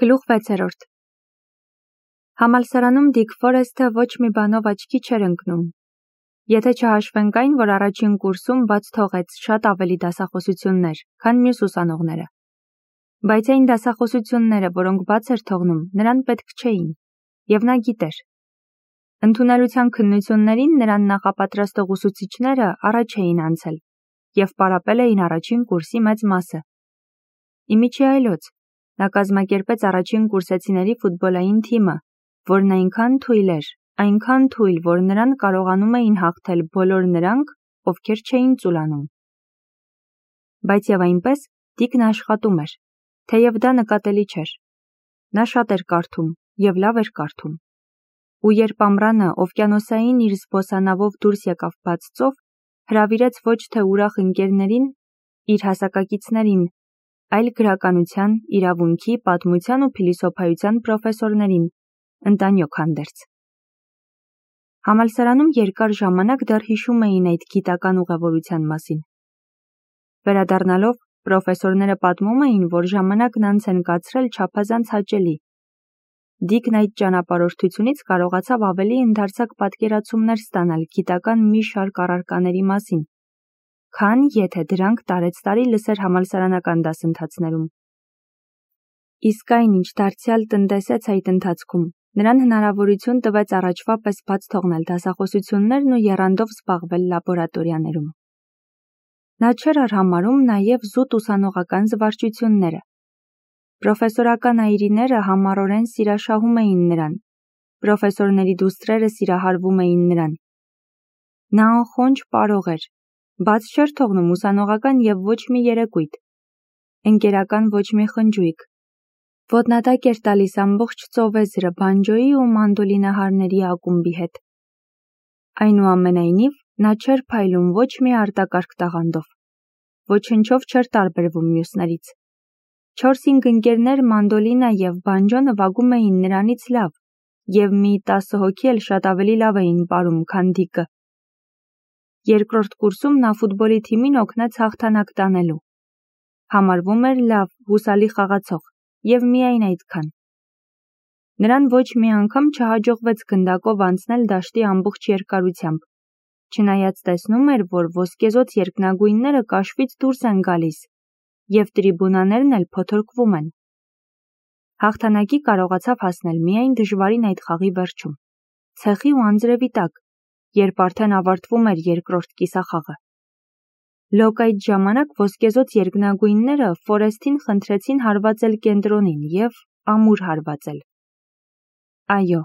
Գլուխ 6. Համալսարանում Դիկ Ֆորեսթը ոչ մի բանով աչքի չէր ընկնում, եթե չհաշվենք այն, որ առաջին կուրսում բաց թողեց շատ ավելի դասախոսություններ, քան մյուս ուսանողները։ Բայց այն դասախոսությունները, որոնք բաց էր թողնում, նրան պետք չէին, և նա գիտեր։ Ընդունելության քննություններին նրան նախապատրաստող ուսուցիչները առաջ էին անցել և պարապել էին առաջին կուրսի մեծ մասը։ Իմիջի այլոց, նա կազմակերպեց առաջին կուրսեցիների ֆուտբոլային թիմը, որն այնքան թույլ, որ նրան կարողանում էին հաղթել բոլոր նրանք, ովքեր չէին ծուլանում։ Բայց և այնպես, Դիկն աշխատում էր, թեև դա նկատելի չէր։ Նա շատ էր կարդում և լավ էր կարդում։ Ու երբ ամռանը օվկիանոսային իր զբոսանավով դուրս եկավ բաց ծով, հրավիրեց ոչ թե ուրախ ընկերներին, իր հասակակիցներին, այլ գրականության, իրավունքի, պատմության ու փիլիսոփայության պրոֆեսորներին, ընտանյոք հանդերձ։ Համալսարանում երկար ժամանակ դեռ հիշում էին այդ գիտական ուղևորության մասին։ Վերադառնալով, պրոֆեսորները պատմում էին, որ ժամանակն անց են կացրել չափազանց հաճելի։ Դիկն այդ ճանապարհորդությունից կարողացավ ավելի ընդարձակ պատկերացումներ ստանալ գիտական մի շարք առարկաների մասին, քան եթե դրանք տարեցտարի լսեր համալսարանական դասընթացներում։ Իսկ այնինչ դարձյալ տնտեսեց այդ ընթացքում, նրան հնարավորություն տվեց առաջվա պես բաց թողնել դասախոսություններն ու եռանդով զբաղվել լաբորատորիաներում։ Նա չէր արհամարհում նաև զուտ ուսանողական զվարճությունները։ Պրոֆեսորական այրիները համառորեն սիրաշահում էին նրան, պրոֆեսորների դուստրերը սիրահարվում էին նրան։ Նա անխոնջ պարող էր, բաց չէր թողնում ուսանողական և ոչ մի երեկույթ, ընկերական ոչ մի խնջույք։ Ոտնատակ էր տալիս ամբողջ ծովեզրը բանջոյի ու մանդոլինահարների ակումբի հետ։ Այնուամենայնիվ, նա չէր փայլում ոչ մի արտակարգ տաղանդով, ոչնչով չէր տարբերվում մյուսներից։ 4-5 ընկերներ մանդոլինա և բանջո նվագում էին նրանից լավ, և մի 10 հոգի էլ շատ ավելի լավ էին պարում, քան Դիկը։ Երկրորդ կուրսում նա ֆուտբոլի թիմին օգնեց հաղթանակ տանելու։ Համարվում էր լավ, հուսալի խաղացող, և միայն այդքան։ Նրան ոչ մի անգամ չհաջողվեց գնդակով անցնել դաշտի ամբողջ երկարությամբ, չնայած տեսնում էր, որ ոսկեզօծ երկնագույնները կաշվից դուրս են գալիս, և տրիբունաներն էլ փոթորկվում են։ Հաղթանակի կարողացավ հասնել միայն դժվարին այդ խաղի վերջում, ցեխի ու անձրևի տակ, երբ արդեն ավարտվում էր երկրորդ կիսախաղը։ Լոկ այդ ժամանակ ոսկեզօծ երկնագույնները Ֆորեսթին խնդրեցին հարվածել կենտրոնին և ամուր հարվածել։ Այո,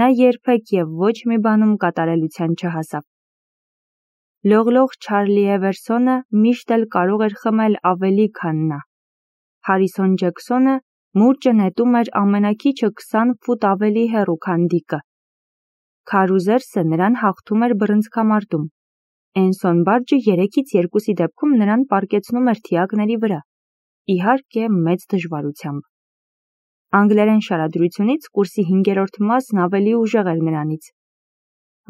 նա երբեք և ոչ մի բանում կատարելության չհասավ։ Լողլող Չարլի Էվերսոնը միշտ էլ կարող էր խմել ավելի, քան նա։ Հարիսոն Ջեքսոնը մուրճը նետում էր ամենաքիչը 20 ֆուտ ավելի հեռու, քան Դիկը։ Քարուզերսը նրան հաղթում էր բռնցքամարտում։ Էնսոն Բարջը 3-ից 2-ի դեպքում նրան պառկեցնում էր թիակների վրա, իհարկե, մեծ դժվարությամբ։ Անգլերեն շարադրությունից կուրսի 5-րդ մասն ավելի ուժեղ էր նրանից։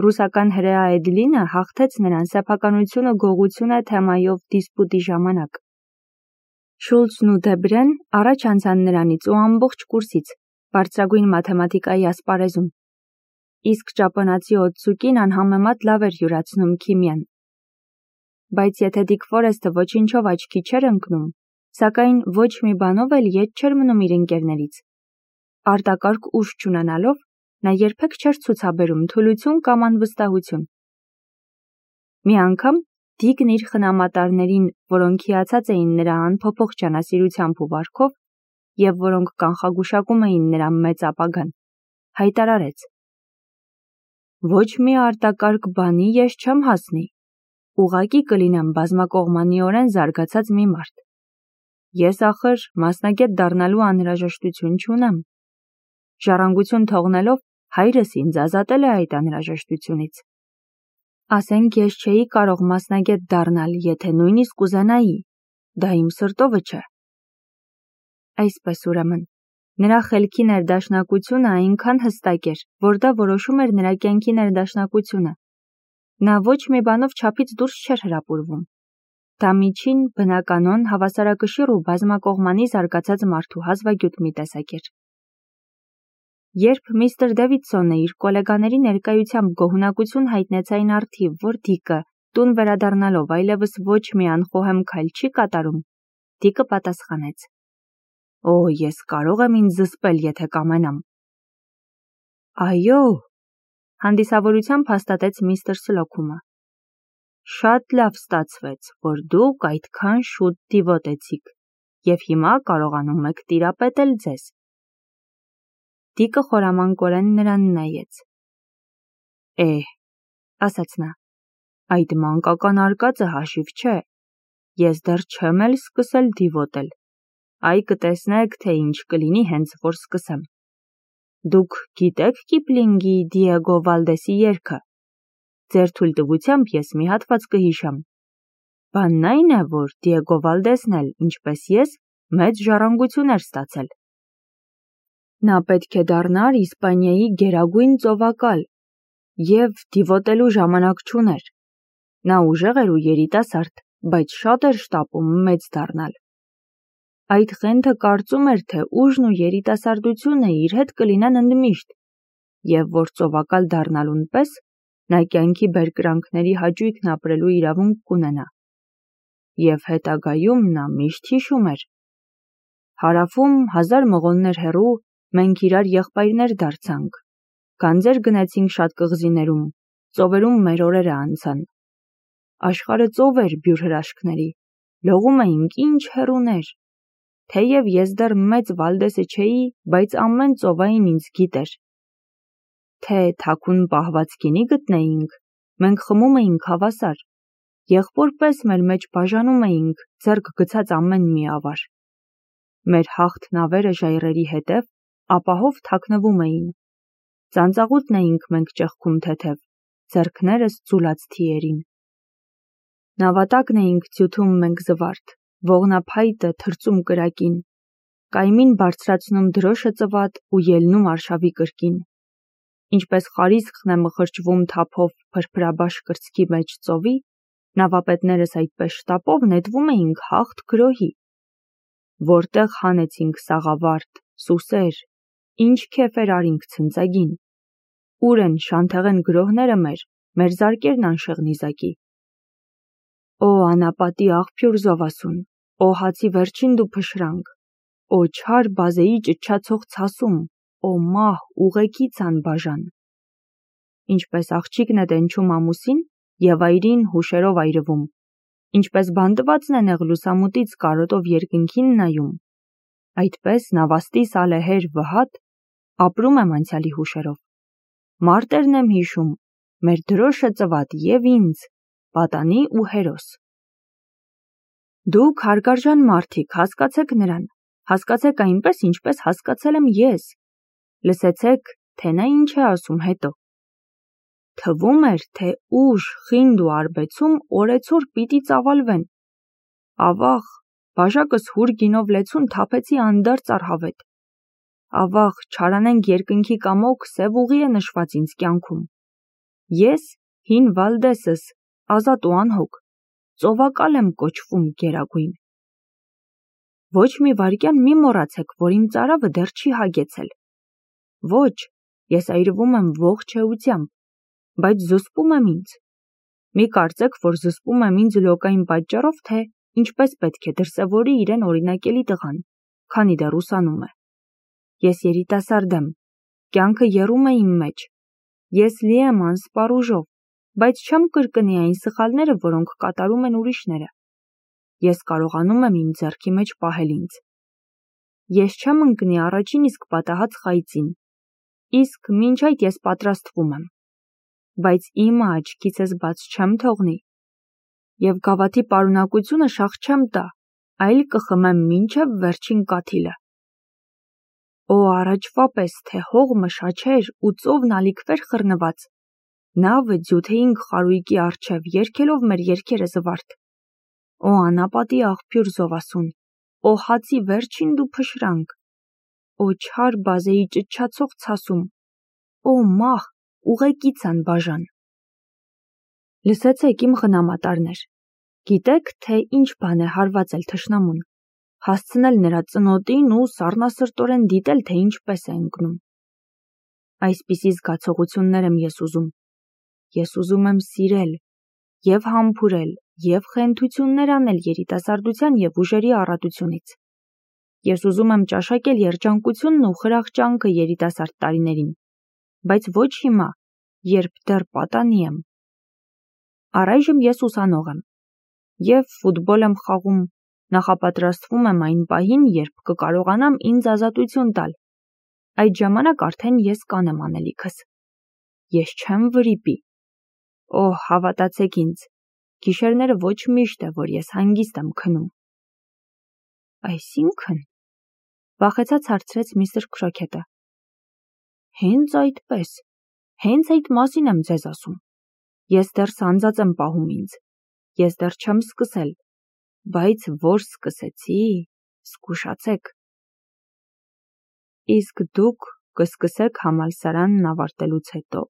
Ռուսական հրեա Էդլինը հաղթեց նրան սեփականություն ու գողություն է թեմայով դիսպուտի ժամանակ։ Շուլցն ու Դեբրեն առաջ անցան նրանից ու ամբողջ կուրսից, բարձրագույն մաթեմատիկայի ասպարեզում։ Իսկ ճապոնացի Օտսուկին անհամեմատ լավ էր յուրացնում քիմիան։ Բայց եթե Դիկ Ֆորեսթը ոչնչով աչքի չէր ընկնում, սակայն ոչ մի բանով էլ ետ չէր մնում իր ընկերներից։ Արտակարգ ուժ չունենալով, նա երբեք չէր ցուցաբերում թուլություն կամ անվստահություն։ Մի անգամ Դիկն իր խնամատարներին, որոնք հիացած էին նրա անփոփոխ ջանասիրությամբ ու վարքով, և որոնք կանխագուշակում էին նրա մեծ ապագան, հայտարարեց. «Ոչ մի արտակարգ բանի ես չեմ հասնի, ուղղակի կլինեմ բազմակողմանիորեն զարգացած մի մարդ։ Ես ախր մասնագետ դառնալու անհրաժեշտություն չունեմ։ Ժառանգություն թողնելով հայրս ինձ ազատել է այդ անհրաժեշտությունից։ Ասենք ես չէի կարող մասնագետ դառնալ, եթե նույնիսկ ուզենայի, դա իմ սրտովը չէ»։ Այսպես ուրեմն, նրա խելքի ներդաշնակությունը այնքան հստակ էր, որ դա որոշում էր նրա կյանքի ներդաշնակությունը։ Նա ոչ մի բանով չափից դուրս չէր հրապուրվում։ Դա միջին, բնականոն, հավասարակշիռ ու բազմակողմանի զարգացած մարդու հազվագյուտ մի տեսակ էր։ Երբ միստր Դևիդսոնը իր կոլեգաների ներկայությամբ գոհունակություն հայտնեց այն առթիվ, որ Դիկը տուն վերադառնալով այլևս ոչ մի անխոհեմ քայլ չի կատարում, Դիկը պատասխանեց. «Օ, ես կարող եմ ինձ զսպել, եթե կամենամ»։ «Այո», հանդիսավորությամբ հաստատեց միստր Սլոքումը։ «Շատ լավ ստացվեց, որ դուք այդքան շուտ դիվոտեցիք, և հիմա կարողանում եք տիրապետել ձեզ»։ Դիկը խորամանկորեն նրան նայեց։ ասաց նա, այդ մանկական արկածը հաշիվ չէ, ես դեռ չեմ էլ սկսել դիվոտել, այ կտեսնեք, թե ինչ կլինի հենց որ սկսեմ։ Դուք գիտեք Կիպլինգի Դիեգո Վալդեսի երգը։ Ձեր թույլտվությամբ ես մի հատված կհիշամ։ Բանն այն է, որ Դիեգո Վալդեսն էլ, ինչպես ես, մեծ ժառանգություն էր ստացել։ Նա պետք է դառնար Իսպանիայի գերագույն ծովակալ, և դիվոտելու ժամանակ չուներ։ Նա ուժեղ էր ու երիտասարդ, բայց շատ էր շտապում մեծ դառնալ։ Այդ խենթը կարծում էր, թե ուժն ու երիտասարդությունը իր հետ կլինեն ընդմիշտ, և որ ծովակալ դառնալուն պես նա կյանքի բերկրանքների հաճույքն ապրելու իրավունք կունենա։ Եվ հետագայում նա միշտ հիշում էր. հարավում 1000 մղոններ հեռու մենք իրար եղբայրներ դարձանք, գանձեր գնեցինք շատ կղզիներում, ծովերում մեր օրերը անցան։ Աշխարհը ծով էր բյուր հրաշքների, լողում էինք ինչ հեռուներ։ Թեև ես դեռ մեծ Վալդեսը չէի, բայց ամեն ծովային ինձ գիտեր։ Թե թաքուն պահված գինի գտնեինք, մենք խմում էինք հավասար, եղբոր պես մեր մեջ բաժանում էինք ձեռք գցած ամեն մի ավար։ Մեր հաղթ նավերը ժայռերի հետև ապահով թաքնվում էին։ Ծանծաղուտն էինք մենք ճեղքում թեթև, ձեռքներս ձուլած թիերին։ Նավատակն էինք ձյութում մենք զվարթ, ողնափայտը թրծում կրակին, կայմին բարձրացնում դրոշը ծվատ ու ելնում արշավի կրկին։ Ինչպես խարիսքն է մխրճվում թափով փրփրաբաշ կրծքի մեջ ծովի, նավապետներս այդպես շտապով նետվում էինք հաղթ գրոհի։ Որտեղ հանեցինք սաղավարտ, սուսեր, ինչ քեֆեր արինք ցնծագին։ Ուր են շանթեղեն գրոհները մեր զարկերն անշեղ նիզակի։ Օ անապատի աղբյուր զովասուն, օ հացի վերջին դու փշրանք, օ չար բազեի ճչացող ցասում, օ մահ ուղեկից անբաժան։ Ինչպես աղջիկն է տենչում ամուսին և այրին հուշերով այրվում, ինչպես բանտվածն է նեղ լուսամուտից կարոտով երկնքին նայում, այդպես նավաստիս ալեհեր վհատ ապրում եմ անցյալի հուշերով։ Մարտերն եմ հիշում, մեր դրոշը ծվատ և ինձ, պատանի ու հերոս։ Դուք հարգարժան մարդիկ, հասկացեք նրան, հասկացեք այնպես, ինչպես հասկացել եմ ես։ Լսեցեք, թե նա ինչ է ասում հետո։ Թվում էր, թե ուժ, խինդ ու արբեցում օրեցօր պիտի ծավալվեն։ Ավաղ, բաժակս հուր գինով լեցուն թափեցի անդարձ առհավետ։ Ավաղ, չարանենք երկնքի կամոք սև ուղի է նշված ինձ կյանքում։ Ես, հին Վալդեսս, ազատ ու անհոգ, ծովակալ եմ կոչվում գերագույն։ Ոչ մի վայրկյան մի մոռացեք, որ իմ ծարավը դեռ չի հագեցել։ Ոչ, ես այրվում եմ ողջ էությամբ, բայց զսպում եմ ինձ։ Մի կարծեք, որ զսպում եմ ինձ լոկային պատճառով, թե ինչպես պետք է դրսևորի իրեն օրինակելի տղան, քանի դեռ ուսանում է։ Ես երիտասարդ եմ, կյանքը եռում է իմ մեջ, ես լի եմ անսպառ ուժով, բայց չեմ կրկնի այն սխալները, որոնք կատարում են ուրիշները։ Ես կարողանում եմ իմ ձեռքի մեջ պահել ինձ։ Ես չեմ ընկնի առաջին իսկ պատահած խայծին, իսկ մինչ այդ ես պատրաստվում եմ, բայց իմը աչքիցս բաց չեմ թողնի, և գավաթի պարունակությունը շաղ չեմ տա, այլ կխմեմ մինչև վերջին կաթիլը։ Օ առաջվա պես, թե հողմը շաչեր ու ծովն ալիքվեր խռնված, նավը ձյութեինք խարույկի առջև երգելով մեր երգերը զվարթ։ Օ անապատի աղբյուր զովասուն, օ հացի վերջին դու փշրանք, օ չար բազեի ճչացող ցասում, օ մահ ուղեկից անբաժան։ Լսեցեք իմ խնամատարներ, գիտեք, թե ինչ բան է հարվածել թշնամուն, հասցնել նրա ծնոտին ու սառնասրտորեն դիտել, թե ինչպես է ընկնում։ Այսպիսի զգացողություններ եմ ես ուզում։ Ես ուզում եմ սիրել, և համբուրել, և խենթություններ անել երիտասարդության և ուժերի առատությունից։ Ես ուզում եմ ճաշակել երջանկությունն ու խրախճանքը երիտասարդ տարիներին, բայց ոչ հիմա, երբ դեռ պատանի եմ։ Առայժմ ես ուսանող եմ, և ֆուտբոլ եմ խաղում, նախապատրաստվում եմ այն պահին, երբ կկարողանամ ինձ ազատություն տալ։ Այդ ժամանակ արդեն ես կանեմ անելիքս։ Ես չեմ վրիպի։ Օհ, հավատացեք ինձ, գիշերները ոչ միշտ է, որ ես հանգիստ եմ քնում։ Այսինքն, վախեցած հարցրեց միստր Քրոքեթը։ Հենց այդպես, հենց այդ մասին եմ ձեզ ասում։ Ես դեռ սանձած եմ պահում ինձ։ Ես դեռ չեմ սկսել, բայց որ սկսեցի, զգուշացեք։ Իսկ դուք կսկսեք համալսարանն ավարտելուց հետո։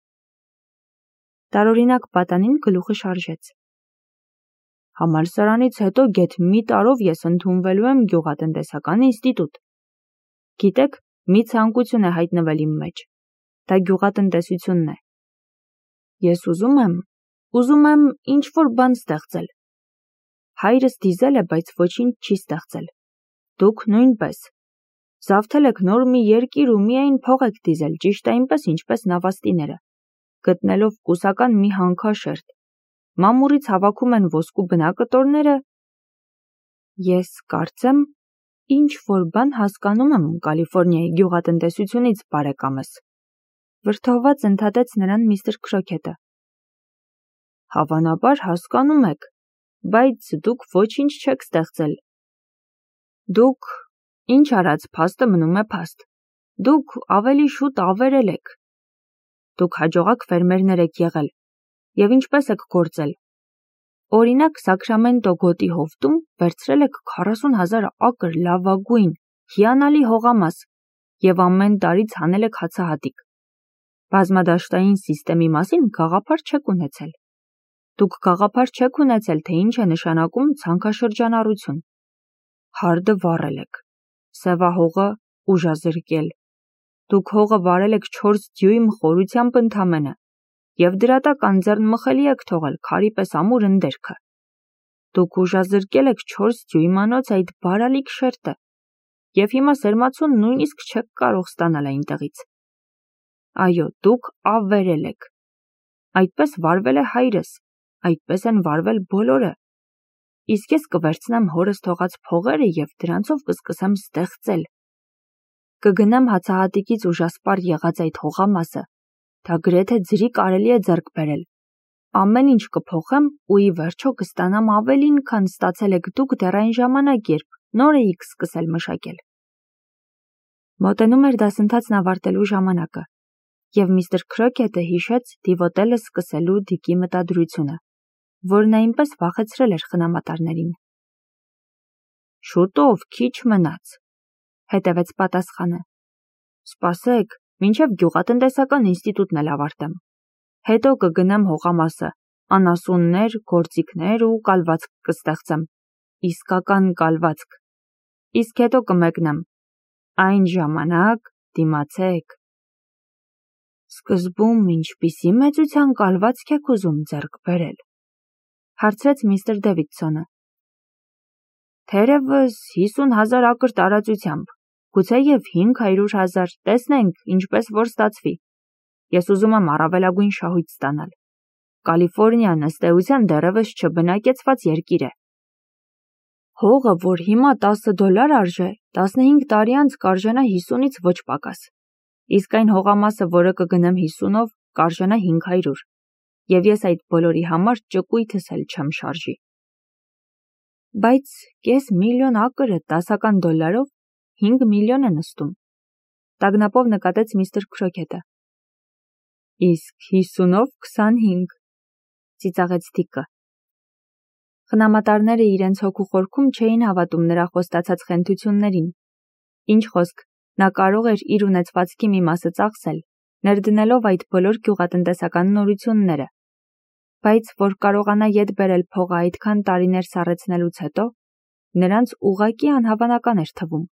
Տարօրինակ պատանին գլուխը շարժեց։ Համալսարանից հետո գեթ մի տարով ես ընդունվելու եմ գյուղատնտեսական ինստիտուտ։ Գիտեք, մի ցանկություն է հայտնվել իմ մեջ։ Դա գյուղատնտեսությունն է։ Ես ուզում եմ ինչ-որ բան ստեղծել։ Հայրս դիզել է, բայց ոչինչ չի ստեղծել։ Դուք նույնպես։ Զավթել եք նոր մի երկիր ու միայն փող եք դիզել, ճիշտ այնպես, ինչպես նավաստիները, գտնելով կուսական մի հանքաշերտ։ Մամուռից հավաքում են ոսկու բնակտորները։ Ես կարծեմ, ինչ-որ բան հասկանում եմ Կալիֆոռնիայի գյուղատնտեսությունից, բարեկամս։ Վրդովված ընդհատեց նրան միստր Քրոքեթը։ Հավանաբար հասկանում եք, բայց դուք ոչինչ չեք ստեղծել։ Դուք, ինչ արած, փաստը մնում է փաստ։ Դուք ավելի շուտ ավերել եք։ Դուք հաջողակ ֆերմերներ եք եղել։ Եվ ինչպես եք գործել։ Օրինակ, Սակրամենտո գոտի հովտում վերցրել եք 40,000 ակր լավագույն, հիանալի հողամաս և ամեն տարի ցանել եք հացահատիկ։ Բազմադաշտային սիստեմի մասին գաղափար չեք ունեցել։ Դուք գաղափար չեք ունեցել, թե ինչ է նշանակում ցանքաշրջանառություն։ Հարդը վառել եք, սևահողը ուժազրկել։ Դուք հողը վարել եք 4 դյույմ խորությամբ ընդամենը, և դրա տակ անձեռնմխելի եք թողել քարի պես ամուր ընդերքը։ Դուք ուժազրկել եք 4 դյույմանոց այդ բարալիկ շերտը, և հիմա սերմացուն նույնիսկ չեք կարող ստանալ այնտեղից։ Այո, դուք ավերել եք։ Այդպես վարվել է հայրս, այդպես են վարվել բոլորը։ Իսկ ես կվերցնեմ հորս թողած փողերը և դրանցով կսկսեմ ստեղծել։ Կգնամ հացահատիկից ուժասպառ եղած այդ հողամասը, դա գրեթե ձրի կարելի է ձեռք բերել։ Ամեն ինչ կփոխեմ ու ի վերջո կստանամ ավելին, քան ստացել եք դուք դեռ այն ժամանակ, երբ նոր էիք սկսել մշակել։ Մոտենում էր դասընթացն ավարտելու ժամանակը, և միստր Քրոքեթը հիշեց դիվոտելը սկսելու Դիկի մտադրությունը, որն այնպես վախեցրել էր խնամատարներին։ Շուտով, քիչ մնաց, հետևեց պատասխանը։ Սպասեք, մինչև գյուղատնտեսական ինստիտուտն էլ ավարտեմ։ Հետո կգնամ հողամասը, անասուններ, գործիքներ ու կալվածք կստեղծեմ։ Իսկական կալվածք։ Իսկ հետո կմեկնեմ։ Այն ժամանակ դիմացեք։ Սկզբում ինչպիսի մեծության կալվածք եք ուզում ձեռք բերել, հարցրեց միստր Դեվիդսոնը։ Թերևս 50,000 ակր տարածությամբ, գուցեև 500,000, տեսնենք, ինչպես որ ստացվի։ Ես ուզում եմ առավելագույն շահույթ ստանալ։ Կալիֆոռնիան ըստ էության դեռևս չբնակեցված երկիր է։ Հողը, որ հիմա $10 արժե, 15 տարի անց կարժենա 50-ից ոչ պակաս։ Իսկ այն հողամասը, որը կգնեմ 50-ով, կարժենա 500, և ես այդ բոլորի համար ճկույթս էլ չեմ շարժի։ Բայց $500,000 ակրը $10 5 միլիոն է նստում, տագնապով նկատեց միստր Քրոքեթը։ Իսկ 50-ով 25, ծիծաղեց Դիկը։ Խնամատարները իրենց հոգու խորքում չէին հավատում նրա խոստացած խենթություններին։ Ինչ խոսք, նա կարող էր իր ունեցվածքի մի մասը ծախսել, ներդնելով այդ բոլոր գյուղատնտեսական նորությունները։ Բայց որ կարողանա ետ բերել փողը այդքան տարիներ սառեցնելուց հետո, նրանց ուղղակի անհավանական էր թվում։